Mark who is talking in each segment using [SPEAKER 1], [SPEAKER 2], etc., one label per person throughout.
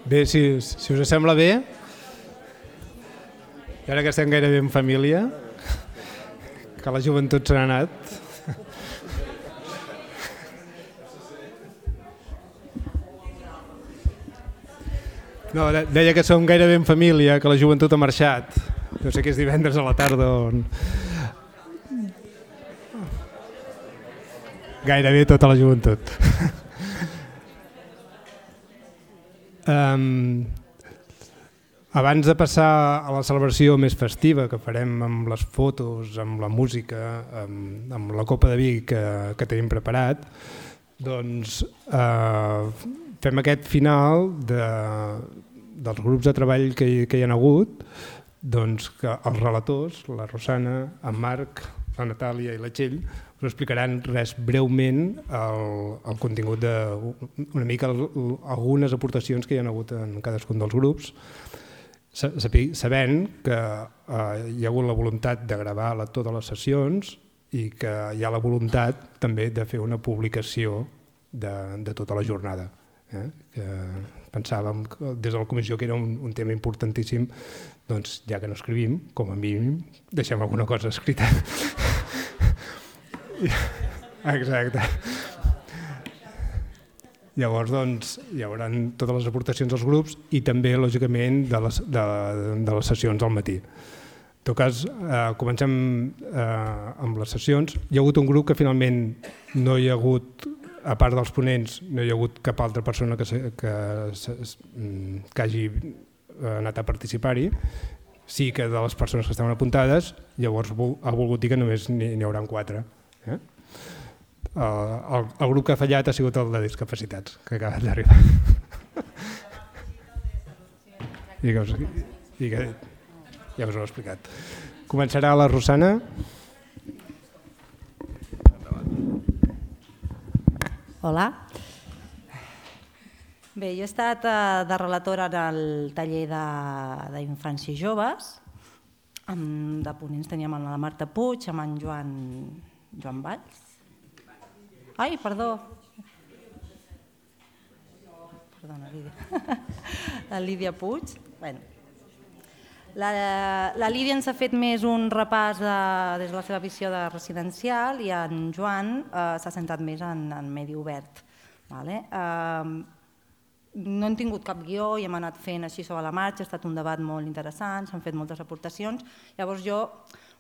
[SPEAKER 1] Bé, si us sembla bé, i ara que estem gairebé en família, que la joventut se n'ha anat. No, deia que som gairebé en família, que la joventut ha marxat. No sé que és divendres a la tarda on... Gairebé tota la joventut. Abans de passar a la celebració més festiva que farem amb les fotos, amb la música, amb la copa de vi que tenim preparat, doncs fem aquest final dels grups de treball que hi ha hagut, doncs que els relators, la Rosana, en Marc, la Natàlia i la Txell, us explicaran breument el contingut una mica algunes aportacions que hi ha hagut en cadascun dels grups, sabent que hi ha hagut la voluntat de gravar totes les sessions i que hi ha la voluntat també de fer una publicació de tota la jornada. Que pensàvem des de la comissió que era un tema importantíssim, doncs ja que no escrivim, com a mínim deixem alguna cosa escrita. Exacte. Llavors doncs, hi haurà totes les aportacions dels grups i també, lògicament, de les sessions al matí. En tot cas, comencem amb les sessions. Hi ha hagut un grup que finalment no hi ha hagut, a part dels ponents, no hi ha hagut cap altra persona que hagi anat a participar-hi. Sí que de les persones que estaven apuntades, llavors ha volgut dir que només n'hi haurà 4. El grup que ha fallat ha sigut el de discapacitats, que ha acabat d'arribar. I que ja us ho he explicat. Començarà la Rosana.
[SPEAKER 2] Hola. Bé, jo he estat de relatora en el taller d'infants i joves. De ponents teníem la Marta Puig, amb en Joan Valls. Ai, perdó. Perdona, Lídia. La Lídia Puig. La Lídia ens ha fet més un repàs des de la seva visió de residencial i en Joan s'ha centrat més en medi obert. No hem tingut cap guió i hem anat fent així sobre la marxa, ha estat un debat molt interessant, s'han fet moltes aportacions. Llavors jo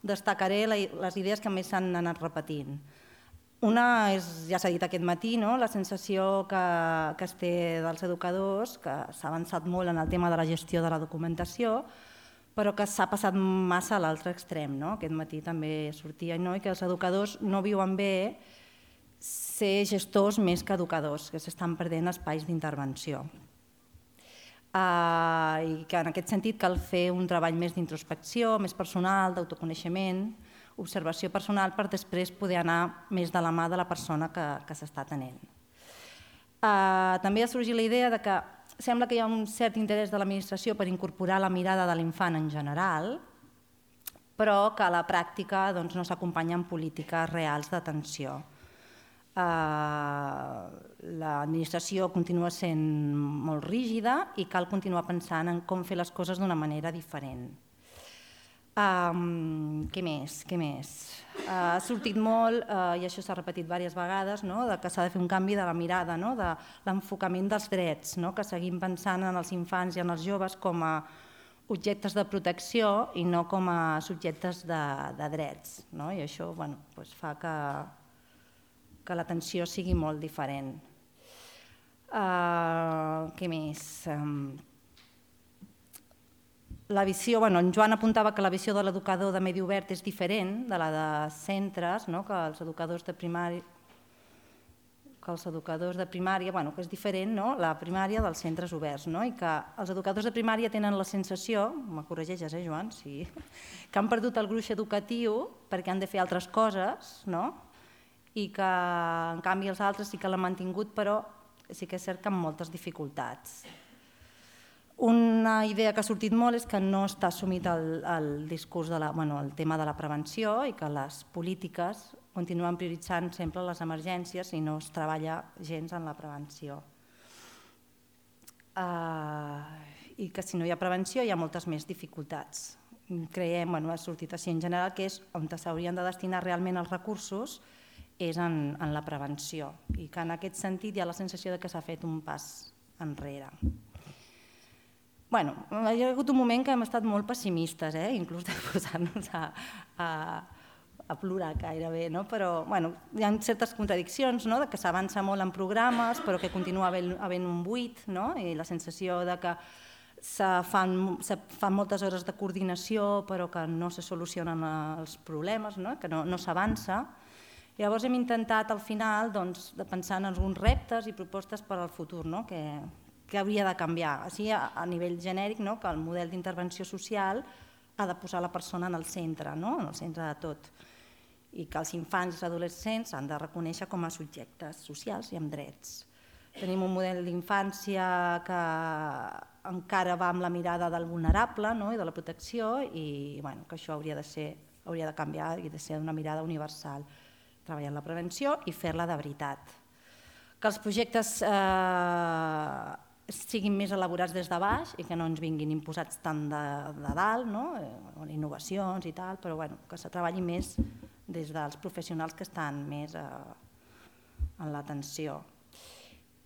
[SPEAKER 2] destacaré les idees que més s'han anat repetint. Una és, ja s'ha dit aquest matí, la sensació que es té dels educadors, que s'ha avançat molt en el tema de la gestió de la documentació, però que s'ha passat massa a l'altre extrem. Aquest matí també sortia i que els educadors no viuen bé ser gestors més que educadors, que s'estan perdent espais d'intervenció. I que en aquest sentit cal fer un treball més d'introspecció, més personal, d'autoconeixement, observació personal per després poder anar més de la mà de la persona que s'està atenent. També ha sorgit la idea que sembla que hi ha un cert interès de l'administració per incorporar la mirada de l'infant en general, però que a la pràctica no s'acompanya amb polítiques reals d'atenció. L'administració continua sent molt rígida i cal continuar pensant en com fer les coses d'una manera diferent. Què més? Ha sortit molt, i això s'ha repetit diverses vegades, que s'ha de fer un canvi de la mirada, de l'enfocament dels drets, que seguim pensant en els infants i en els joves com a objectes de protecció i no com a subjectes de drets. I això fa que l'atenció sigui molt diferent. Què més? La visió, en Joan apuntava que la visió de l'educador de medi obert és diferent de la de centres, que els educadors de primària, que és diferent la primària dels centres oberts, i que els educadors de primària tenen la sensació, me corregeixes, Joan, sí, que han perdut el gruix educatiu perquè han de fer altres coses, i que en canvi els altres sí que l'han mantingut, però sí que és cert que amb moltes dificultats. Una idea que ha sortit molt és que no està assumit el discurs, el tema de la prevenció i que les polítiques continuen prioritzant sempre les emergències i no es treballa gens en la prevenció. i que si no hi ha prevenció hi ha moltes més dificultats. Creiem, ha sortit així en general, que és on s'haurien de destinar realment els recursos és en la prevenció i que en aquest sentit hi ha la sensació que s'ha fet un pas enrere. Hi ha hagut un moment que hem estat molt pessimistes, inclús de posar-nos a plorar gairebé, però hi ha certes contradiccions, que s'avança molt en programes però que continua havent un buit i la sensació que se fan moltes hores de coordinació però que no se solucionen els problemes, que no s'avança. Llavors hem intentat al final de pensar en alguns reptes i propostes per al futur, que hauria de canviar. Així a nivell genèric, que el model d'intervenció social ha de posar la persona en el centre de tot, i que els infants i els adolescents s'han de reconèixer com a subjectes socials i amb drets. Tenim un model d'infància que encara va amb la mirada del vulnerable i de la protecció i que això hauria de canviar i de ser una mirada universal. Treballar en la prevenció i fer-la de veritat. Que els projectes siguin més elaborats des de baix i que no ens vinguin imposats tant de dalt, innovacions i tal, però que se treballi més des dels professionals que estan més en l'atenció.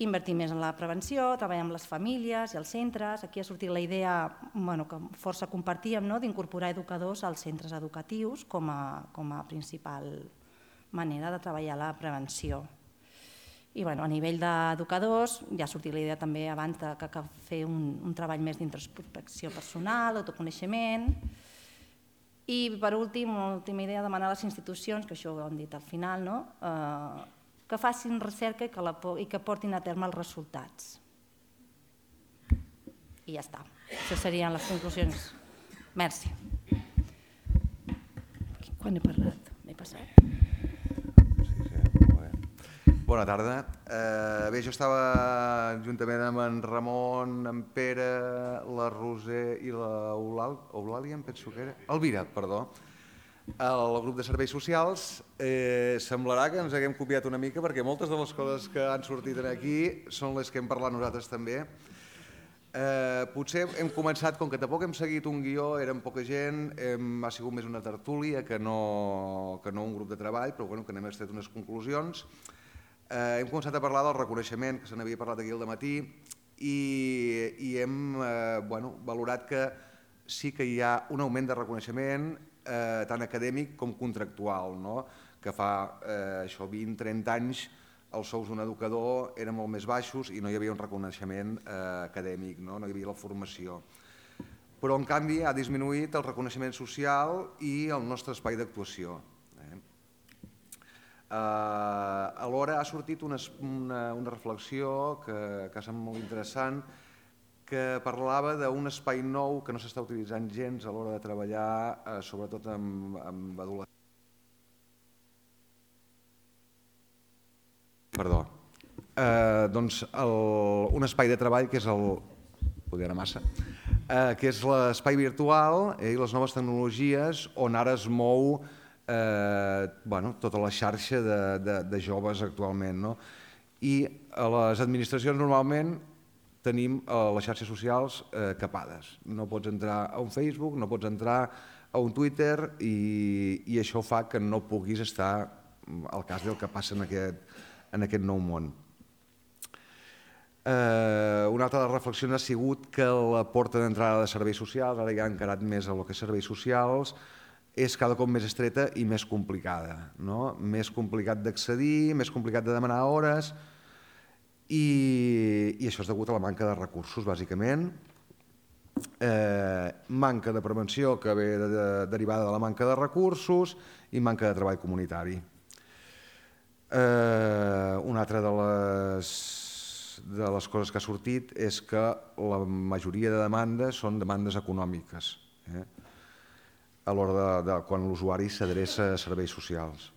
[SPEAKER 2] Invertir més en la prevenció, treballar amb les famílies i els centres. Aquí ha sortit la idea que força compartíem d'incorporar educadors als centres educatius com a principal manera de treballar la prevenció. I a nivell d'educadors ja ha sortit la idea també abans que cal fer un treball més d'introspecció personal, autoconeixement. I per últim, última idea, demanar a les institucions, que això ho hem dit al final, que facin recerca i que portin a terme els resultats. I ja està. Això serien les conclusions. Merci. Quan he parlat? M'he passat?
[SPEAKER 3] Bona tarda. Bé, jo estava juntament amb en Ramon, en Pere, la Roser i l'Eulàlia, em penso que era... Elvira, perdó. El grup de serveis socials. Semblarà que ens haguem copiat una mica perquè moltes de les coses que han sortit aquí són les que hem parlat nosaltres també. Potser hem començat, com que tampoc hem seguit un guió, érem poca gent, ha sigut més una tertúlia que no un grup de treball, però que n'hem extret unes conclusions. Hem començat a parlar del reconeixement, que se n'havia parlat aquí al dematí, i hem valorat que sí que hi ha un augment de reconeixement tant acadèmic com contractual, que fa 20-30 anys els sous d'un educador eren molt més baixos i no hi havia un reconeixement acadèmic, no hi havia la formació. Però en canvi ha disminuït el reconeixement social i el nostre espai d'actuació. Alhora ha sortit una reflexió que sembla molt interessant, que parlava d'un espai nou que no s'està utilitzant gens a l'hora de treballar, sobretot amb adolescents. Perdó. Doncs un espai de treball que és poder anar massa, que és l'espai virtual i les noves tecnologies on ara es mou tota la xarxa de joves actualment. I a les administracions normalment tenim les xarxes socials capades. No pots entrar a un Facebook, no pots entrar a un Twitter i això fa que no puguis estar al cas del que passa en aquest nou món. Una altra de les reflexions ha sigut que la porta d'entrada de serveis socials, ara ja ha encarat més a lo que és serveis socials, és cada cop més estreta i més complicada. Més complicat d'accedir, més complicat de demanar hores, i això és degut a la manca de recursos, bàsicament. Manca de prevenció que ve derivada de la manca de recursos i manca de treball comunitari. Una altra de les coses que ha sortit és que la majoria de demandes són demandes econòmiques a l'hora de quan l'usuari s'adreça a serveis socials.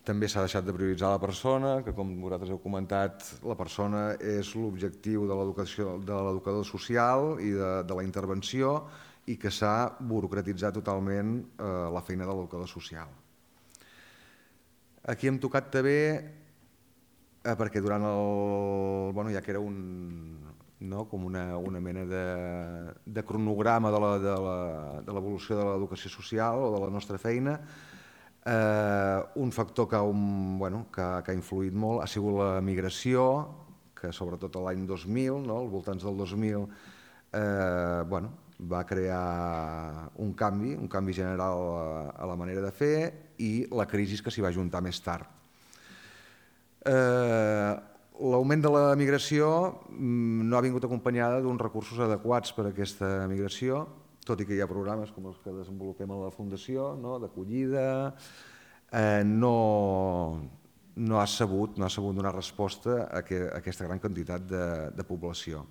[SPEAKER 3] També s'ha deixat de prioritzar la persona, que com vosaltres heu comentat, la persona és l'objectiu de l'educador social i de la intervenció i que s'ha burocratitzat totalment la feina de l'educador social. Aquí hem tocat també, perquè durant ja que era com una mena de cronograma de l'evolució de l'educació social o de la nostra feina. Un factor que ha influït molt ha sigut la migració, que sobretot l'any 2000, als voltants del 2000, va crear un canvi general a la manera de fer, i la crisi que s'hi va juntar més tard. L'augment de la migració no ha vingut acompanyada d'uns recursos adequats per a aquesta migració, tot i que hi ha programes com els que desenvolupem a la Fundació, d'acollida. No ha sabut donar resposta a aquesta gran quantitat de població.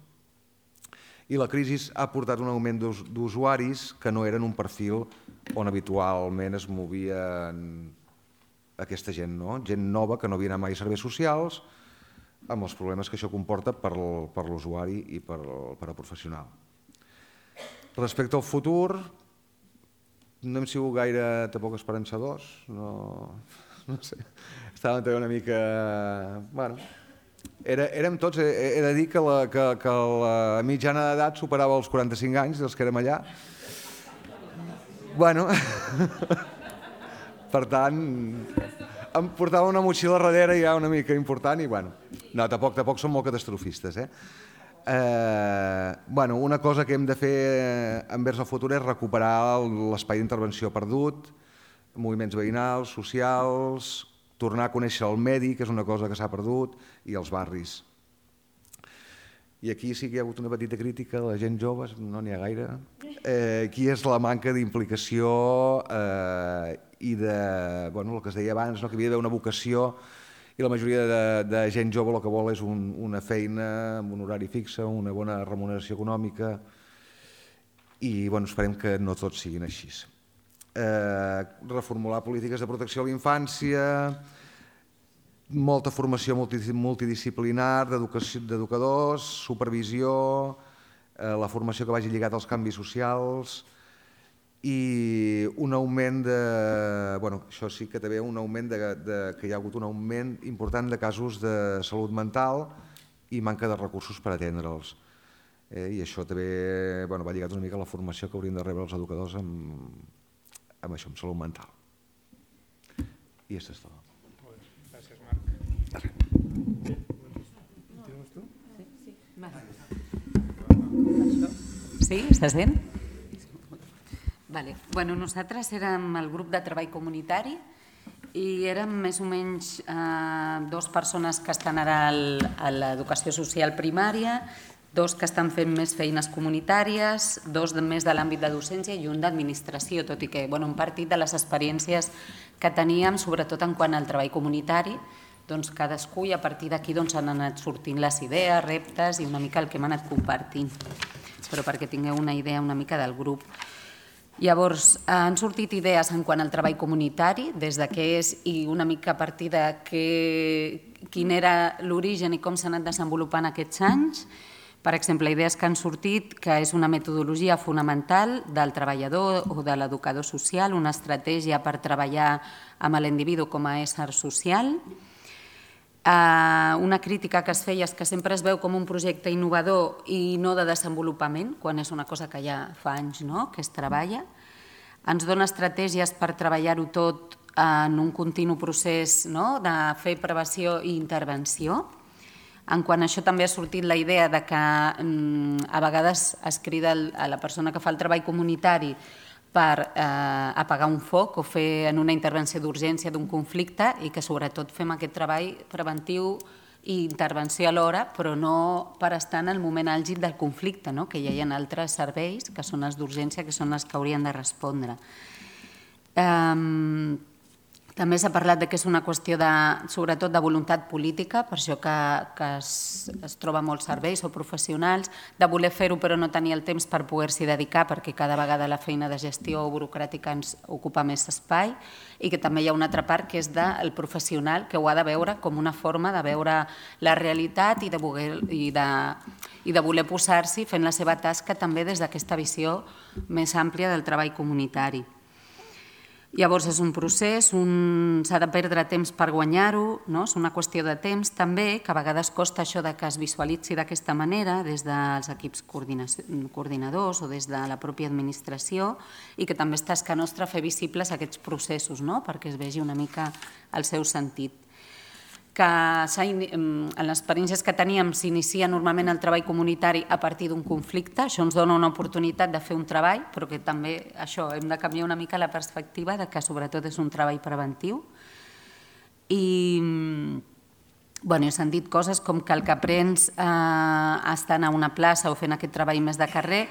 [SPEAKER 3] I la crisi ha portat un augment d'usuaris que no eren un perfil on habitualment es movia aquesta gent, gent nova que no havia anat mai a serveis socials, amb els problemes que això comporta per l'usuari i per al professional. Respecte al futur, no hem sigut gaire tampoc esperançadors, no sé, estàvem també una mica... Érem tots, he de dir que la mitjana d'edat superava els 45 anys dels que érem allà. Per tant, em portava una motxilla darrere ja una mica important i no, tampoc som molt catastrofistes. Una cosa que hem de fer envers el futur és recuperar l'espai d'intervenció perdut, moviments veïnals, socials, tornar a conèixer el medi, que és una cosa que s'ha perdut, i els barris. I aquí sí que hi ha hagut una petita crítica de la gent jove, no n'hi ha gaire. Aquí és la manca d'implicació i de, el que es deia abans, que havia d'haver una vocació, i la majoria de gent jove el que vol és una feina amb un horari fixe, una bona remuneració econòmica, i esperem que no tots siguin així. Reformular polítiques de protecció a la infància, molta formació multidisciplinar d'educadors, supervisió, la formació que vagi lligada als canvis socials i un augment de... això sí que també un augment que hi ha hagut un augment important de casos de salut mental i manca de recursos per atendre'ls. I això també va lligat una mica a la formació que haurien de rebre els educadors amb això, amb salut mental. I això és tot.
[SPEAKER 1] Gràcies, Marc. Continues tu?
[SPEAKER 4] Sí, estàs sent? Bueno, nosaltres érem el grup de treball comunitari i érem més o menys 2 persones que estan ara a l'educació social primària, 2 que estan fent més feines comunitàries, 2 més de l'àmbit de docència i un d'administració, tot i que hem partit de les experiències que teníem, sobretot en quant al treball comunitari, doncs cadascú, i a partir d'aquí han anat sortint les idees, reptes i una mica el que hem anat compartint, però perquè tingueu una idea una mica del grup. Llavors, han sortit idees en quant al treball comunitari, des de què és i una mica a partir de quin era l'origen i com s'ha anat desenvolupant aquests anys. Per exemple, idees que han sortit, que és una metodologia fonamental del treballador o de l'educador social, una estratègia per treballar amb l'individu com a ésser social. Una crítica que es feia és que sempre es veu com un projecte innovador i no de desenvolupament, quan és una cosa que ja fa anys que es treballa. Ens dona estratègies per treballar-ho tot en un continu procés de fer prevenció i intervenció. En quant a això també ha sortit la idea que a vegades es crida a la persona que fa el treball comunitari per apagar un foc o fer en una intervenció d'urgència d'un conflicte i que sobretot fem aquest treball preventiu i intervenció alhora, però no per estar en el moment àlgid del conflicte, que hi ha altres serveis que són els d'urgència, que són els que haurien de respondre. També s'ha parlat que és una qüestió sobretot de voluntat política, per això que es troba molts serveis o professionals, de voler fer-ho però no tenir el temps per poder-s'hi dedicar perquè cada vegada la feina de gestió burocràtica ens ocupa més espai i que també hi ha una altra part que és del professional que ho ha de veure com una forma de veure la realitat i de voler posar-s'hi fent la seva tasca també des d'aquesta visió més àmplia del treball comunitari. Llavors és un procés, s'ha de perdre temps per guanyar-ho, és una qüestió de temps també, que a vegades costa això de que es visualitzi d'aquesta manera des dels equips coordinadors o des de la pròpia administració i que també és tasca nostra fer visibles aquests processos perquè es vegi una mica el seu sentit. Que en les experiències que teníem s'inicia normalment el treball comunitari a partir d'un conflicte, això ens dona una oportunitat de fer un treball, però que també això hem de canviar una mica la perspectiva de que sobretot és un treball preventiu. I he sentit coses com que el que aprens estant a una plaça o fent aquest treball més de carrer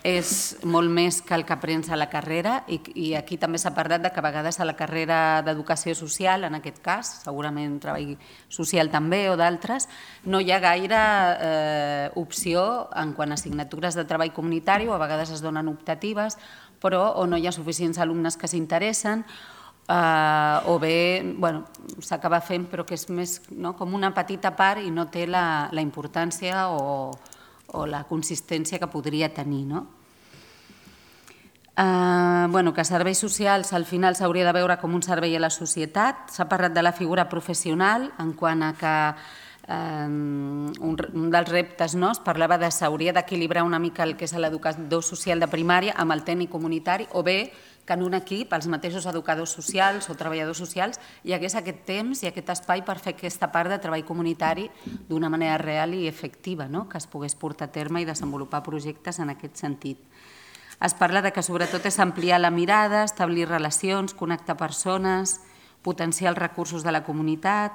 [SPEAKER 4] és molt més que el que aprens a la carrera i aquí també s'ha parlat que a vegades a la carrera d'educació social, en aquest cas, segurament treball social també o d'altres, no hi ha gaire opció en quant a assignatures de treball comunitari o a vegades es donen optatives, però o no hi ha suficients alumnes que s'interessen o bé s'acaba fent però que és més com una petita part i no té la importància o la consistència que podria tenir. Que serveis socials al final s'hauria de veure com un servei a la societat. S'ha parlat de la figura professional en quant a que un dels reptes es parlava de s'hauria d'equilibrar una mica el que és l'educador social de primària amb el tècnic comunitari o bé que en un equip els mateixos educadors socials o treballadors socials hi hagués aquest temps i aquest espai per fer aquesta part de treball comunitari d'una manera real i efectiva, que es pogués portar a terme i desenvolupar projectes en aquest sentit. Es parla que sobretot és ampliar la mirada, establir relacions, connectar persones, potenciar els recursos de la comunitat,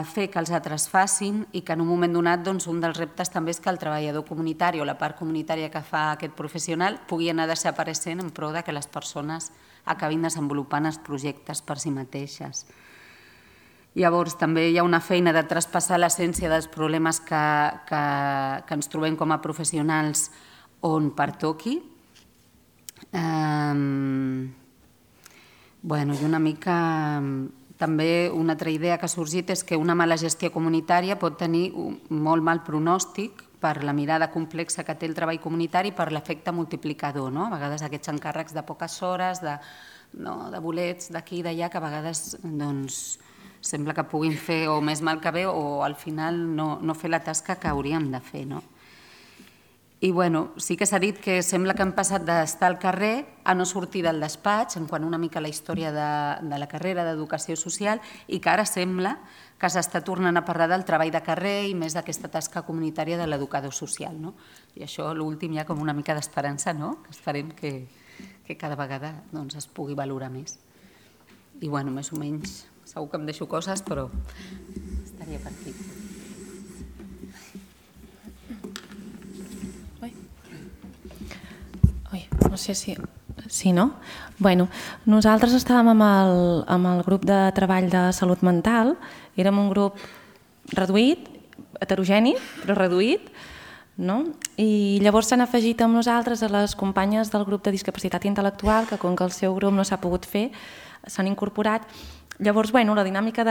[SPEAKER 4] fer que els altres facin i que en un moment donat un dels reptes també és que el treballador comunitari o la part comunitària que fa aquest professional pugui anar desapareixent en pro que les persones acabin desenvolupant els projectes per si mateixes. Llavors també hi ha una feina de traspassar l'essència dels problemes que ens trobem com a professionals on pertoqui. I una mica... També una altra idea que ha sorgit és que una mala gestió comunitària pot tenir un molt mal pronòstic per la mirada complexa que té el treball comunitari i per l'efecte multiplicador. A vegades aquests encàrrecs de poques hores, de bolets d'aquí i d'allà, que a vegades sembla que puguin fer o més mal que bé o al final no fer la tasca que hauríem de fer. I sí que s'ha dit que sembla que hem passat d'estar al carrer a no sortir del despatx, en quant una mica a la història de la carrera d'educació social, i que ara sembla que s'està tornant a parlar del treball de carrer i més d'aquesta tasca comunitària de l'educador social. I això, l'últim, hi ha com una mica d'esperança, que esperem que cada vegada es pugui valorar més. I més o menys, segur que em deixo coses, però estaria per aquí.
[SPEAKER 5] No sé si... Sí, no? Nosaltres estàvem amb el grup de treball de salut mental, érem un grup reduït, heterogeni, però reduït, i llavors s'han afegit amb nosaltres a les companyes del grup de discapacitat intel·lectual, que com que el seu grup no s'ha pogut fer, s'han incorporat. Llavors, la dinàmica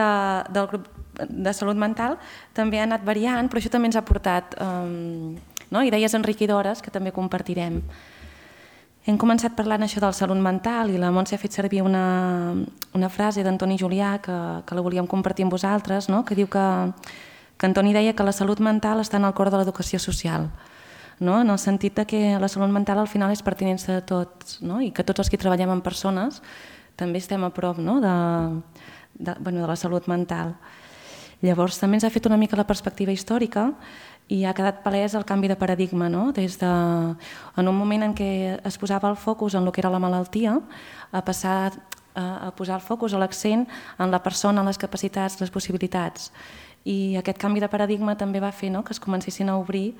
[SPEAKER 5] del grup de salut mental també ha anat variant, però això també ens ha portat idees enriquidores que també compartirem. Hem començat parlant això del salut mental i la Montse ha fet servir una frase d'Antoni Julià que la volíem compartir amb vosaltres, que diu que Antoni deia que la salut mental està en el cor de l'educació social, en el sentit que la salut mental al final és pertinença de tots i que tots els que treballem amb persones també estem a prop de la salut mental. Llavors també ens ha fet una mica la perspectiva històrica i ha quedat palès el canvi de paradigma, des de, en un moment en què es posava el focus en el que era la malaltia, a passar a posar el focus o l'accent en la persona, en les capacitats, les possibilitats. I aquest canvi de paradigma també va fer que es comencessin a obrir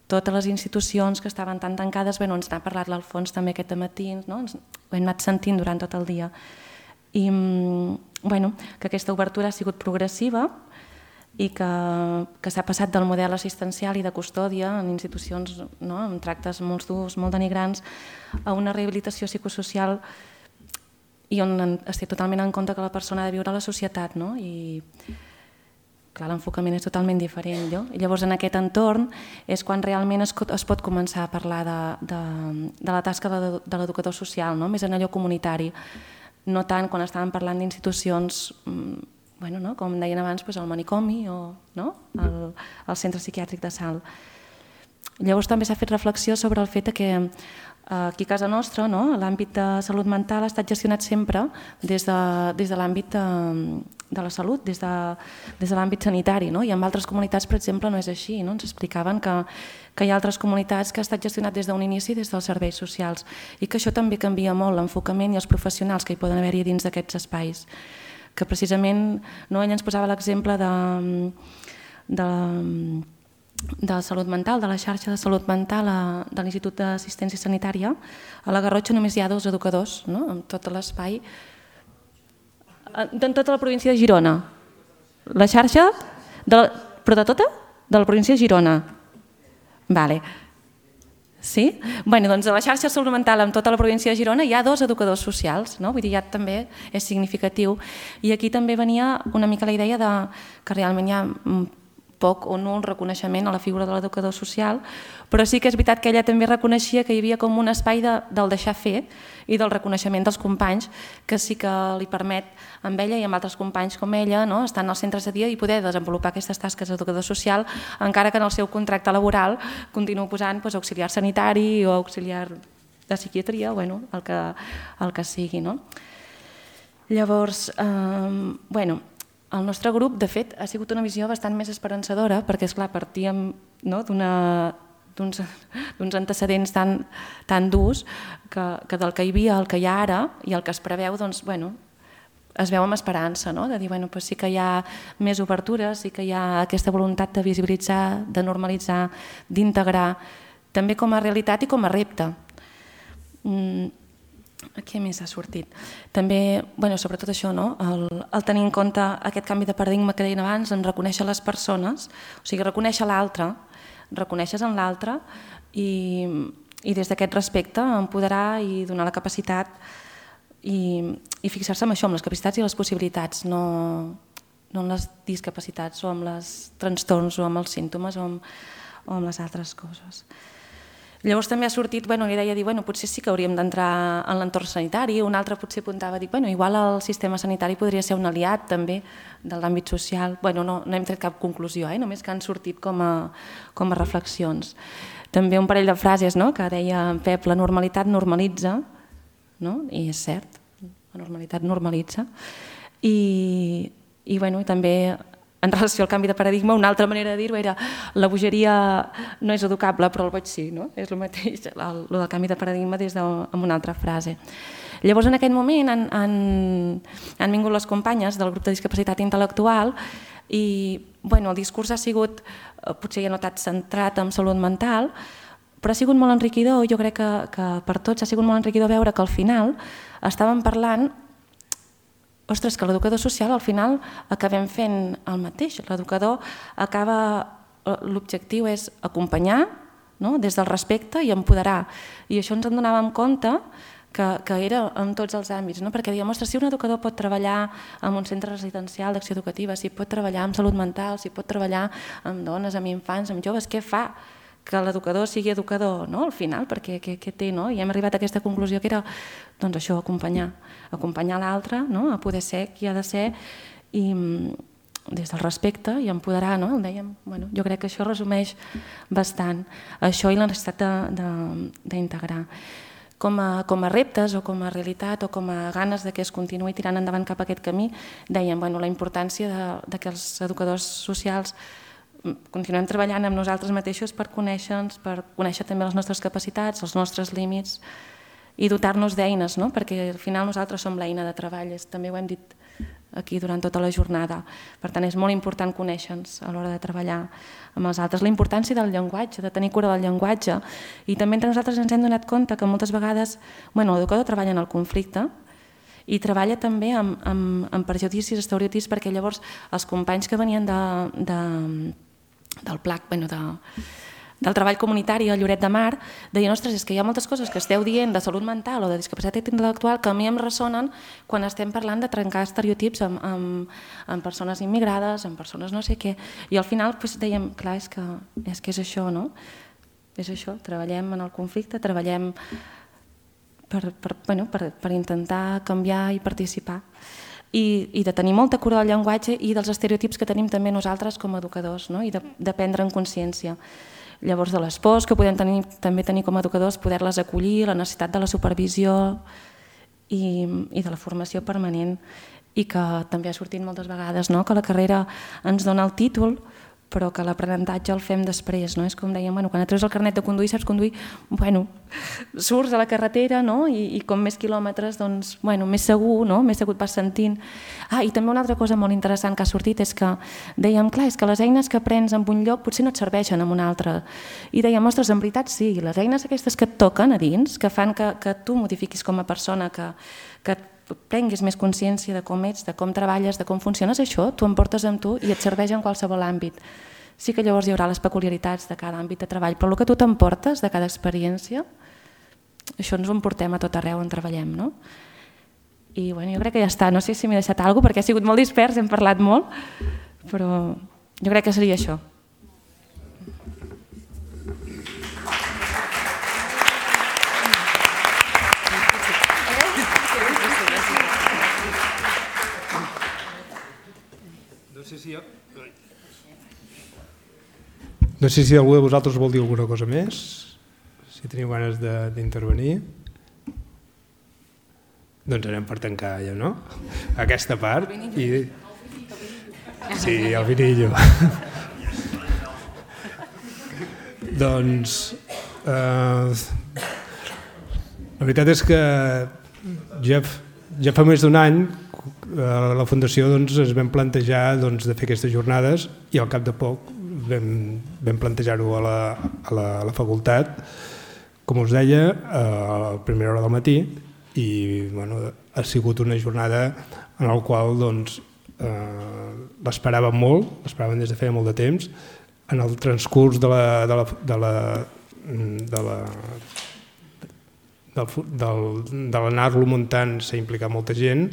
[SPEAKER 5] totes les institucions que estaven tan tancades. Ens n'ha parlat l'Alfons també aquest matí, ho hem anat sentint durant tot el dia. I que aquesta obertura ha sigut progressiva i que s'ha passat del model assistencial i de custòdia en institucions amb tractes molt durs, molt denigrants, a una rehabilitació psicosocial i on es té totalment en compte que la persona ha de viure a la societat i clar, l'enfocament és totalment diferent. I llavors en aquest entorn és quan realment es pot començar a parlar de la tasca de l'educador social, no? Més en allò comunitari, no tant quan estàvem parlant d'institucions, com deien abans, el manicomi o el centre psiquiàtric de Salt. Llavors també s'ha fet reflexió sobre el fet que aquí a casa nostra l'àmbit de salut mental ha estat gestionat sempre des de l'àmbit de la salut, des de l'àmbit sanitari, i en altres comunitats, per exemple, no és així. Ens explicaven que hi ha altres comunitats que ha estat gestionat des d'un inici des dels serveis socials i que això també canvia molt l'enfocament i els professionals que hi poden haver-hi dins d'aquests espais. Que precisament ell ens posava l'exemple de salut mental, de la xarxa de salut mental de l'Institut d'Assistència Sanitària. A la Garrotxa només hi ha 2 educadors, en tot l'espai, en tota la província de Girona. La xarxa, però de tota? De la província de Girona. Vale. Sí? Doncs a la xarxa de salut mental en tota la província de Girona hi ha 2 educadors socials, vull dir, ja també és significatiu. I aquí també venia una mica la idea que realment hi ha poc o nul reconeixement a la figura de l'educador social, però sí que és veritat que ella també reconeixia que hi havia com un espai del deixar fer i del reconeixement dels companys, que sí que li permet amb ella i amb altres companys com ella estar en els centres de dia i poder desenvolupar aquestes tasques d'educador social, encara que en el seu contracte laboral continuï posant auxiliar sanitari o auxiliar de psiquiatria, el que sigui. Llavors, el nostre grup, de fet, ha sigut una visió bastant més esperançadora perquè, esclar, partíem d'uns antecedents tan durs que del que hi havia, el que hi ha ara i el que es preveu, es veu amb esperança, de dir, sí que hi ha més obertures, sí que hi ha aquesta voluntat de visibilitzar, de normalitzar, d'integrar, també com a realitat i com a repte. Què més ha sortit? També, sobretot això, el tenir en compte aquest canvi de paradigma que deien abans, en reconèixer les persones, o sigui, reconèixer l'altre, reconeixes en l'altre i des d'aquest respecte empoderar i donar la capacitat i fixar-se en això, en les capacitats i les possibilitats, no en les discapacitats o en els trastorns o en els símptomes o en les altres coses. Llavors també ha sortit la idea de dir potser sí que hauríem d'entrar en l'entorn sanitari, un altre potser apuntava a dir igual el sistema sanitari podria ser un aliat també de l'àmbit social. No hem tret cap conclusió, només que han sortit com a reflexions. També un parell de frases que deia Pep, la normalitat normalitza, i és cert, la normalitat normalitza, i també en relació al canvi de paradigma, una altra manera de dir-ho era la bogeria no és educable, però el boig sí, és el mateix, el del canvi de paradigma amb una altra frase. Llavors, en aquest moment han vingut les companyes del grup de discapacitat intel·lectual i el discurs ha sigut, potser ja no tant centrat en salut mental, però ha sigut molt enriquidor, jo crec que per tots ha sigut molt enriquidor veure que al final estàvem parlant ostres, que l'educador social al final acabem fent el mateix. L'educador l'objectiu és acompanyar des del respecte i empoderar. I això ens en donàvem compte que era en tots els àmbits, perquè dèiem, ostres, si un educador pot treballar en un centre residencial d'acció educativa, si pot treballar amb salut mental, si pot treballar amb dones, amb infants, amb joves, què fa que l'educador sigui educador al final? Perquè què té? I hem arribat a aquesta conclusió que era això, acompanyar l'altre a poder ser qui ha de ser i des del respecte i empoderar, dèiem, jo crec que això resumeix bastant això i la necessitat d'integrar. Com a reptes o com a realitat o com a ganes que es continuï tirant endavant cap a aquest camí, dèiem la importància que els educadors socials continuem treballant amb nosaltres mateixos per conèixer-nos, per conèixer també les nostres capacitats, els nostres límits i dotar-nos d'eines, perquè al final nosaltres som l'eina de treball, també ho hem dit aquí durant tota la jornada. Per tant, és molt important conèixer-nos a l'hora de treballar amb els altres. La importància del llenguatge, de tenir cura del llenguatge. I també entre nosaltres ens hem donat compte que moltes vegades l'educador treballa en el conflicte i treballa també amb prejudicis, estereotips, perquè llavors els companys que venien del PLAC, del treball comunitari a Lloret de Mar, deien, ostres, és que hi ha moltes coses que esteu dient de salut mental o de discapacitat intel·lectual que a mi em ressonen quan estem parlant de trencar estereotips amb persones immigrades, amb persones no sé què. I al final dèiem, clar, és que és això, no? És això, treballem en el conflicte, treballem per intentar canviar i participar. I de tenir molta cura del llenguatge i dels estereotips que tenim també nosaltres com a educadors, no? I de prendre en consciència. Llavors, de les pors que podem també tenir com a educadors, poder-les acollir, la necessitat de la supervisió i de la formació permanent, i que també ha sortit moltes vegades, no? Que la carrera ens dona el títol, però que l'aprenentatge el fem després, no? És com dèiem, quan et treus el carnet de conduir, saps conduir, surts a la carretera, no? I com més quilòmetres, doncs, més segur, no? Més segur et vas sentint. I també una altra cosa molt interessant que ha sortit és que dèiem, clar, és que les eines que aprens en un lloc potser no et serveixen en un altre. I dèiem, ostres, en veritat sí, les eines aquestes que et toquen a dins, que fan que tu modifiquis com a persona, que prenguis més consciència de com ets, de com treballes, de com funciones, això t'ho emportes amb tu i et serveix en qualsevol àmbit. Sí que llavors hi haurà les peculiaritats de cada àmbit de treball, però el que tu t'emportes de cada experiència, això ens ho emportem a tot arreu on treballem, no? I jo crec que ja està, no sé si m'he deixat alguna cosa, perquè ha sigut molt dispers, hem parlat molt, però jo crec que seria això.
[SPEAKER 1] No sé si algú de vosaltres vol dir alguna cosa més, si teniu ganes d'intervenir. Doncs anem per tancar ja, no? Aquesta part. Sí, el vinillo. Doncs la veritat és que ja fa més d'un any a la Fundació es vam plantejar de fer aquestes jornades i al cap de poc vam plantejar-ho a la facultat, com us deia, a la primera hora del matí, i ha sigut una jornada en la qual l'esperàvem molt, l'esperàvem des de feia molt de temps. En el transcurs de l'anar-lo muntant s'ha implicat molta gent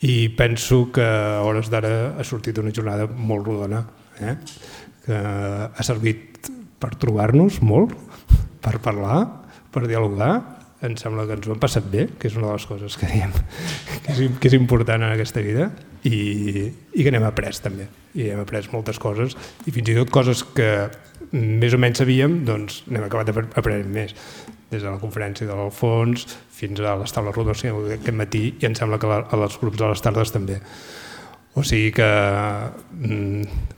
[SPEAKER 1] i penso que a hores d'ara ha sortit una jornada molt rodona, que ha servit per trobar-nos molt, per parlar, per dialogar. Em sembla que ens ho hem passat bé, que és una de les coses que diem que és important en aquesta vida, i que n'hem après també. I hem après moltes coses, i fins i tot coses que més o menys sabíem, doncs n'hem acabat aprenent més. Des de la conferència de l'Alfons fins a les taules rodones aquest matí, i em sembla que als grups de les tardes també. O sigui que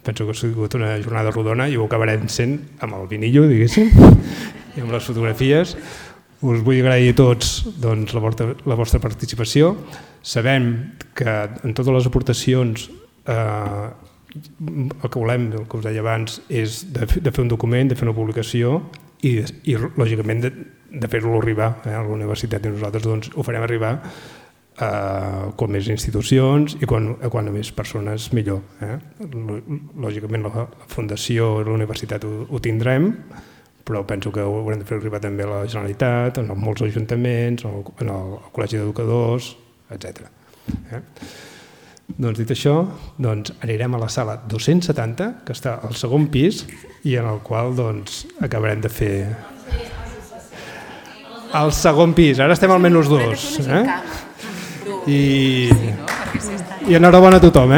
[SPEAKER 1] penso que ha sigut una jornada rodona i ho acabarem sent amb el vinillo, diguéssim, i amb les fotografies. Us vull agrair a tots la vostra participació. Sabem que en totes les aportacions el que volem, el que us deia abans, és de fer un document, de fer una publicació i lògicament de fer-lo arribar a la universitat, i nosaltres ho farem arribar com més institucions i quan a més persones millor. Lògicament la Fundació i la universitat ho tindrem, però penso que ho haurem de fer arribar també a la Generalitat, en molts ajuntaments, en el Col·legi d'Educadors, etc. Doncs dit això, anirem a la sala 270, que està al segon pis, i en el qual acabarem de fer... Al segon pis, ara estem al -2. I enhorabona a tothom,